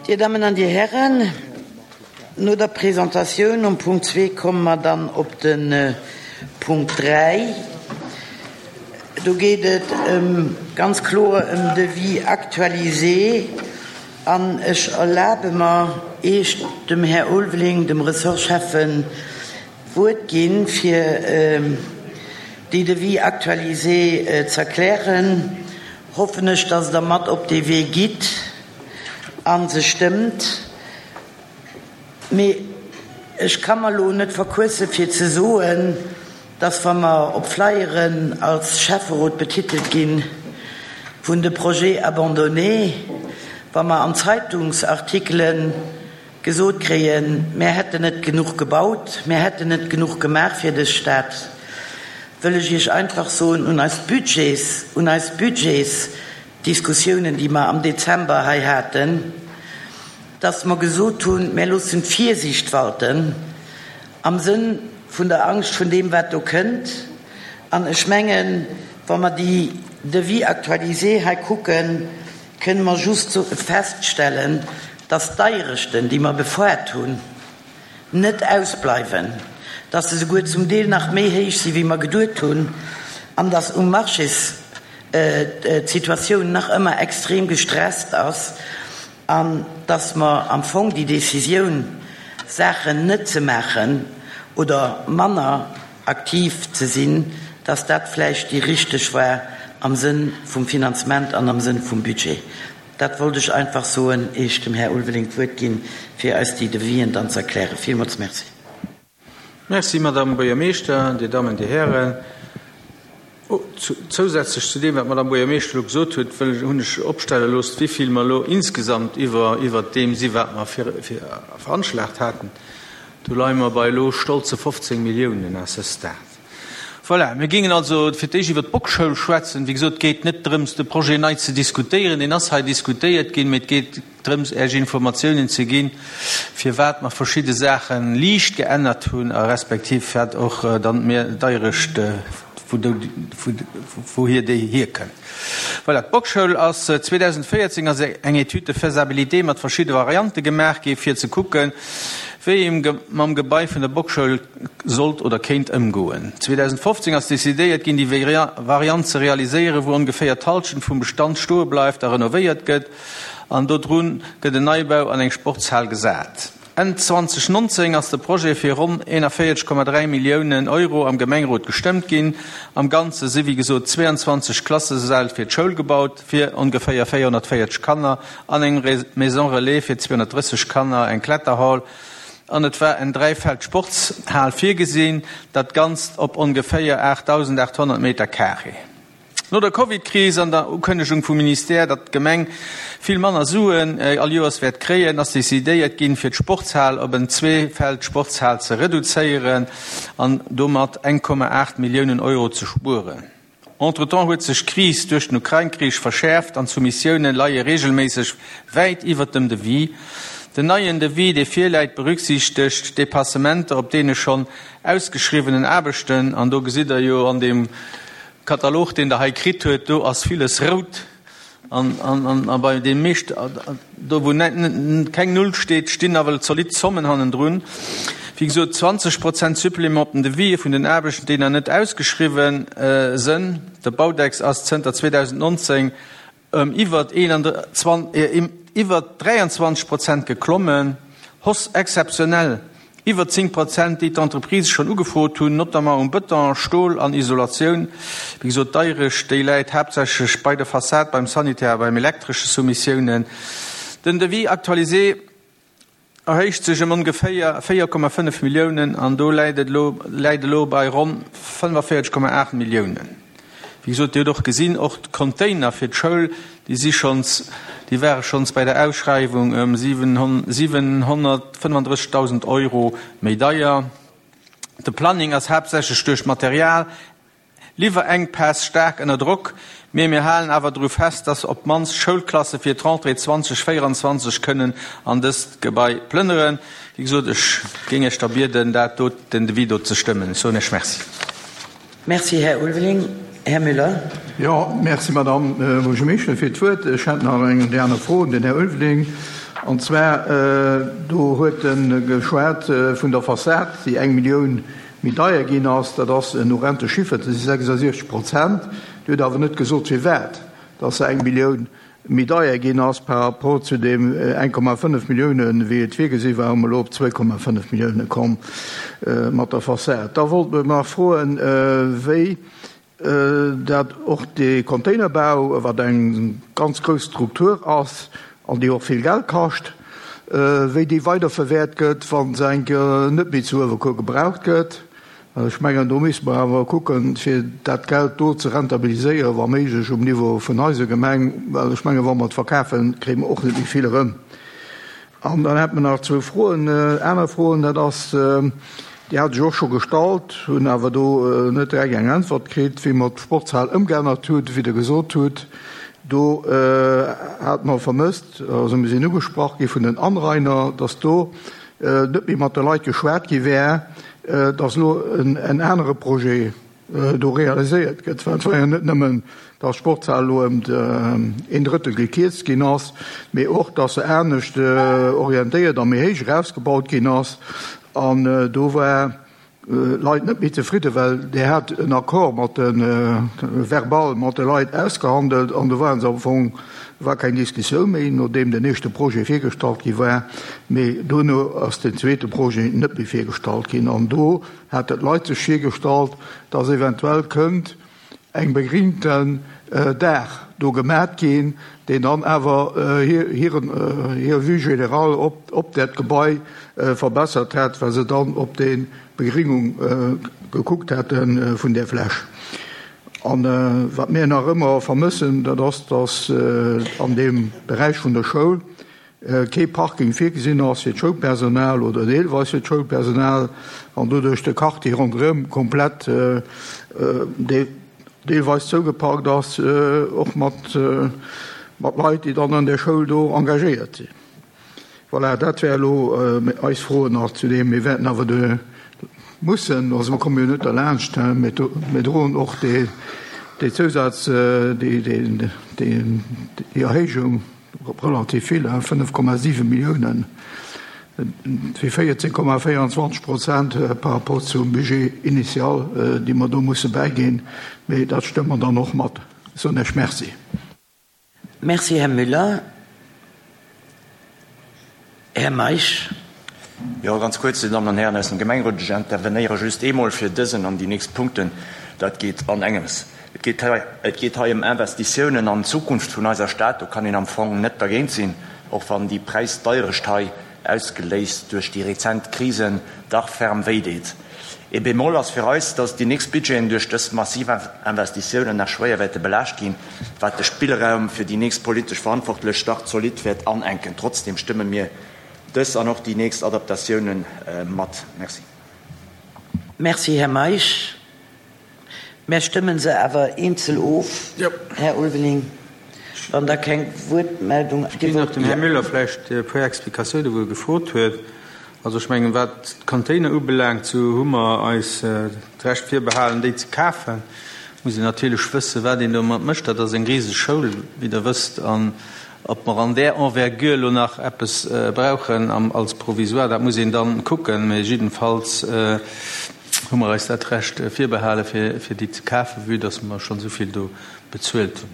Dir Dammen an Dir Hären, no der Presentatioun um Punkt zwee komme mer dann op de Punkt 3. Do geet et ëm, ganz kloer ëm Devis actualisé. An ech erlabe mer, Iech, dem Här Ulveling, dem Ressortschäffen, d'Wuert ginn, fir déi Devis actualisé z'erklären. Hoffen ech, dass Der mat op dee Wee gitt a se stëmmt. Mee ech ka mer elo net verquësse fir ze soen, dass wa mer op Flyeren als Schäfferot betitelt gi vun de Projets abandonnés, wa mer an Zeitungsartikelen gesot kréien, mär hätten net genuch gebaut, mär hätten net genuch gemaach fir dës Stad, wëll ech Iech einfach soen, un eis Budgets, un eis Budgetsdiskussiounen, déi mer am Dezember hei haten, dass mer gesot hunn, mär loossen d'Virsiicht walten am Sënn vun der Angscht vun deem, wat do kënnt. An ech mengen, wa mer déi Devis actualisés hei kucken, kënne mer just feststellen, dass d'Deierechten, déi mer befoart hunn, net ausbleiwen, dass se souguer zum Deel nach méi héich si wéi mer geduet hunn an dass um Marchés d'Situatioun nach ëmmer extrem gestresst ass an dass mer am Fong déi Décisioun, Saachen net ze maachen oder manner aktiv ze sinn, dass dat vläicht déi richteg war am Sënn vum Finanzement an am Sënn vum Budget. Dat wollt ech einfach soen, ier ech dem Här Ulveling d'Wuert ginn, fir eis déi Devisen dann ze erklären. Villmools Merci. Merci, Madame Buergermeeschter, Dir Dammen, Dir Hären. Zousätzlech zu deem, wat d'Madame Buergermeeschter elo gesot huet, wëll ech, hunn ech opstelle looss, wéivill mer elo insgesamt iwwer, iwwert deem si wat mer vir, vir, veranschlagt haten. Do leie mer bei elo stolze 15 Milliounen à ce stade. Voilà, mir géingen also fir d'éischt iwwert d'Bockschoul schwätzen. Wéi gesot, et geet net drëms, de Projet nei ze diskutéieren, deen ass hei diskutéiert ginn, mee et geet drëms, Äech Informatiounen ze ginn, firwat mer verschidde Saache liicht geännert hunn a respektiv wat och dann d'Deierecht, wouhier déi hierkënnt. Voilà, d'Bockschoul ass 2014 ass eng Étude de faisabilité mat verschidde Variante gemaach gi fir ze kucken, wéi ee mam Gebai vun der Bockschoul sollt oder kéint ëmgoen. 2015 ass decidéiert ginn, déi Variant ze realiséieren, wou ongeféier d'Hallschent vum Bestand stoe bleift a renovéiert gëtt an dodru gëtt en Neibau an eng Sportshal gesat. Enn 2019 ass de Projet fir ronn 41,3 Milliounen Euro am Gemengerot gestëmmt ginn. Am Ganze si wéi gesot 22 Klassesäll fir d'Schoul gebaut, fir ongeféier 440 Kanner, an eng Maison Relais fir 230 Kanner, eng Kletterhall an et war en Dräifeld-Sportshal virgesinn, dat Ganzt op ongeféier 8.800 Meter carré. No der Covid-Kris an der Ukënnegung vum Ministère, datt d'Gemeng vill manner Suen all Joers wäert kréien, ass decidéiert ginn, fir d'Sportshal op en Zweefeld-Sportshal ze reduzéieren an domat 1,8 Milliounen Euro ze spueren. Entretemps huet sech d'Kris duerch den Ukrain-Krich verschäerft an d'Soumissioune leie reegelméisseg wäit iwwert dem Devis. Den neien Devis, dee virläit, berücksichtegt d'Dépassementer op deene schonn ausgeschriwwenen Aarbechten an do gesitt Der jo an deem Katalog, deen Der hei kritt huet, do ass villes rout an a bei deem meescht, do wou keng Null steet, stinn nawell zolidd Zommen hannendrun. Wéi gesot, 20 Prozent Supplément op den Devisë vun den Aarbechten, déi nach net ausgeschriwwen sënn. De Baudex ass zënter 2019 ëm iwwer 23 Prozent geklommen, Hausse exceptionnelle iwwer 10 Prozent, déi d'Entreprisë schonn ugefrot hunn, notamment um Bëton, Stol an Isolatioun. Wéi gesot, d'Deirecht, déi läit haaptsächlech bei der Fassad, beim Sanitär a beim Elektresche Soumissiounen. Den Devis actualisé erhéicht sech ëm ongeféier 4,5 Milliounen an do läit et elo läit elo bei ronn 45,8 Milliounen. Wéi gesot, Dir hutt och gesinn, och d'Container fir d'Schoul, déi si schonns, déi ware schonns bei der Ausschreiwung ëm 735.000 Euro méi deier. De Planning ass haaptsächlech duerch d'Material Liwwerenkpäss staark ënner Drock, mee mir halen awer dru fest, dass op d'mannst Schoulklasse fir d'Rentrée 2024 kënnen an dëst Gebai plënneren. Wéi gesot, ech géing Iech da bieden, dat do, den Devis do ze stëmmen. Ech soen Iech Merci. Merci, Här Ulveling. Här Müller. Jo, merci, Madamm Buergermeeschtesch, fir d'Wuert. Ech hätt nach eng déi aner Fro un den Här Ulveling. An zwar, do huet e geschwat vun der Fassad, déi eng Millioun méi deier ginn ass. Dat ass en horrende Chiffer, dat si 66 Prozent. Dir hutt awer net gesot, firwat dass se eng Millioun méi deier ginn ass par rapport zu deem 1,5 Milliounen, wéi et virgesi war, hu mer elo op 2,5 Millioune komm mat der Fassad. Da wollt mer nach froen, wéi dat och dee Containerbau, wat eng ganz grouss Struktur ass an déi och vill Geld kascht, wéi déi weiderverwäert gëtt, wa se eng Kéier net méi zu Uewerkuer gebraucht gëtt. Ech mengen, do misste mer awer kucken, fir dat Geld do ze rentabiliséieren, wa méiglech um Niveau vun eiser Gemeng, well ech mengen, wa mer et verkafen, kréie mer och net méi vill erëm. An dann hätte mer nach zwou Froen, aner Froen, dat ass, déi hat ech och scho gestallt, hunn awer do net direkt eng Äntwert kritt, wéi mer d'Sportshal ëmgeännert hutt, wéi Der gesot hutt, do hate mer vermësst, also mir sinn ugesprach gi vun den Anrainer, dass do net méi mat de Leit geschwat gi wär, dass elo en anere Projet do realiséiert gëtt. Well et war jo net nëmmen, dass d'Sportshal elo ëm een Drëttel gekierzt ginn ass, mee och, dass se anescht orientéiert a méi héich erausgebaut ginn ass. An do war Leit net méi zefridden, well Dir hat en Accord mat de, verbal mat de Leit ausgehandelt an do ware se am Fong, war keng Diskussioun méi, nodeem den éischte Projet virgestallt gi war, mee dono ass den zweete Projet net méi virgestallt ginn an do haten d'Leit sech virgestallt, dass eventuell kënnt eng begringten Daach do gemat ginn, deen dann awer hiren, hir Vue générale op, op dat Gebai verbessert hätt, well se dann op déi Begringung gekuckt hätte vun där Fläch. An wat mir nach ëmmer vermëssen, dat ass, dass an deem Beräich vun der Schoul kee Parking virgesinn ass fir d'Schoulpersonal oder deelweis fir d'Schoulpersonal an doduerch de Quartier ronderëm komplett deelweis zougeparkt ass, och mat Leit, déi dann an där Schoul do engagéiert sinn. Voilà, dat wär elo eis Froen nach zu deem. Mir wäerten awer de mussen, also mer komme jo net derlaanscht, mir droen och déi Zousaz, déi Erhéijung relativ vill, 5,7 Milliounen, fir 14,24 Prozent par rapport zum Budget initial, déi mer do musse bäiginn. Mee dat stëmme mer dann och mat. Ech soen Iech Merci. Merci, Här Müller. Här Meisch. Jo, ganz kuerz, Dir Dammen an Hären aus dem Gemengerot, ech intervenéiere just eemol fir dësen an déi nächst Punkten. Dat geet an engems. Et geet hei, et geet hei ëm Investitiounen an d'Zukunft vun eiser Stad. Do kann een am Fong net dergéint sinn, och wann déi Präisdeierecht hei, ausgeléist duerch déi rezent Krisen, dach ferm wéideet. Ee Bémol ass fir eis, dass déi nächst Budgeten duerch dës massiv Investitiounen nach schwéier wäerte belaascht ginn, wat de Spillraum fir déi nächst politesch Verantwortlech dach zolidd wäert anenken. Trotzdem stëmme mir dës an och déi nächst Adaptatiounen mat. Merci. Merci, Här Meisch. Mär stëmmen se awer eenzel of, Här Ulveling, wann da keng Wuertmeldung. Ech ginn nach dem Här Müller vläicht e puer Explikatiounen, wou e gefrot huet. Also ech mengen, wat d'Container ubelaangt, sou hu mer eis d'Recht virbehalen, déi ze kafen. Muss een natierlech wëssen, wat een domat mécht. Dat ass eng riseg Schoul, wéi Der wësst. An ob mer an där Envergure elo nach eppes brauchen als Provisoire, dat muss een dann kucken. Mä jiddefalls hu mer eis dat Recht virbehale fir déi ze kafen, vue dass mer schonn esou vill do bezuelt hunn.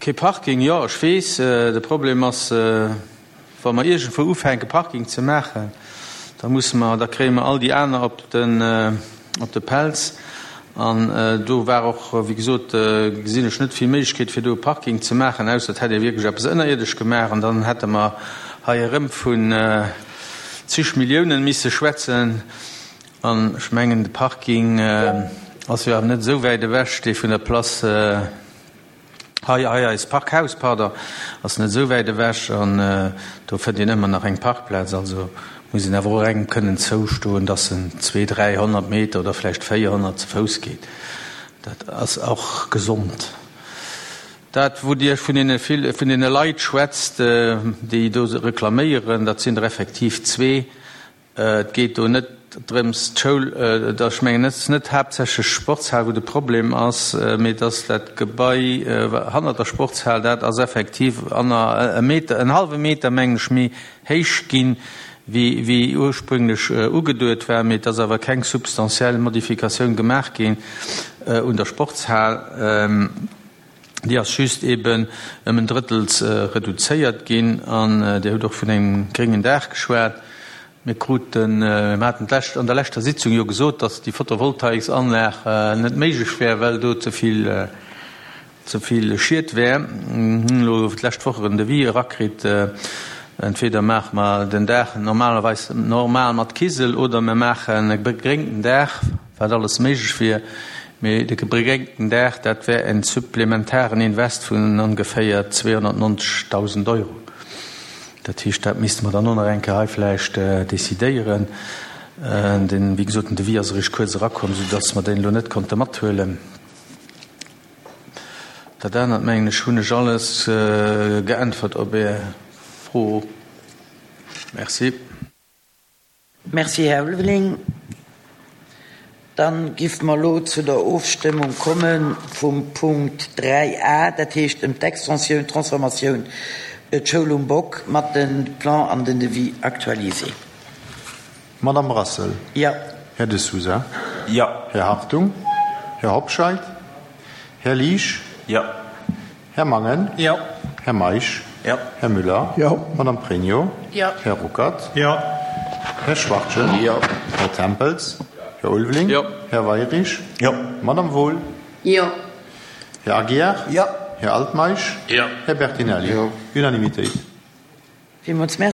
Kee Parking, jo, ech weess, de Problem ass, wa mer iergendwou ufänke Parking ze maachen, da musse mer, da kréie mer all déi aner op den, op de Pelz. An do war och, wéi gesot, gesinn ech net vill Méiglechkeet fir do e Parking ze maachen, ausser et hätt ee wierklech eppes ënnerierdesch gemaach an dann hätte mer hei erëm vun zig Milliounen misse schwätzen. An ech mengen, de Parking ass jo awer net esou wäit ewech, dee vun der Place hei, hei eist Parkhaus, pardon, ass net esou wäit ewech an do fënnt een ëmmer nach eng Parkplaz. Also muss een awer och engem kënnen zoustoen, dass en zwee, 300 Meter oder vläicht 400 ze Fouss geet. Dat ass och gesond. Dat, wou Dir vun deene vill, vun deene Leit schwätzt, déi do reklaméieren, dat sinn der effektiv zwee. Et geet do net. drëms, d'Schoul, ech mengen, et ass net haaptsächlech d'Sportshal, wou de Problem ass, mee et ass dat Gebai hannert der Sportshal, dat ass effektiv e Meter, en hallwe Meter, mengen ech, méi héich ginn, wéi ursprünglech ugeduet war. Mee et ass awer keng substantiell Modifikatioun gemaach ginn un der Sportshal. Déi ass just eben ëm en Drëttels reduzéiert ginn. An Dir hutt och vun engem gréngen Daach geschwat. Mir kruten, mir haten d'lescht, an der leschter Sitzung jo gesot, datt déi Photovoltaiksanlag net méiglech wär, well do ze vill, ze vill Schied wär. Mir hunn elo d'lescht Woch en Devis erakritt. Entweder maache mer den Daach normalerweis normal mat Kisel oder mir maachen e begréngten Daach, wat alles méiglech wier. Mee de begréngten Daach, dat wär en supplementaren Invest vun ongeféier 290.000 Euro. Dat heescht, dat misste mer dann och nach eng Kéier hei vläicht decidéieren. Den, wéi gesot, den Devis ass eréischt kuerz erakomm, soudass mer deen elo net konnte mathuelen. Dat anert, mengen ech, hunn ech alles geäntwert op Är Fro. Merci. Merci, Här Ulveling. Dann giff mer elo zu der Ofstëmmung komme vum Punkt 3 a, dat heescht ëm d'Extensioun, d'Transformatioun d'Schoul um Bock mat de Plan an den Devis actualisé. Madame Brassel. Jo. Här De Sousa. Jo. Här Hartung. Här Hobscheit. Här Liesch. Jo. Här Mangen. Jo. Här Meisch. Jo. Här Müller. Jo. Madame Pregno. Jo. Här Ruckert. Jo. Här Schwachtgen. Jo. Här Tempels. Här Ulveling. Jo. Här Weirich. Jo. Madame Wohl. Jo. Här Aguiar. Jo. Här Altmeisch. Jo. Här Bertinelli. Jo. Unanimitéit. Villmools Merci.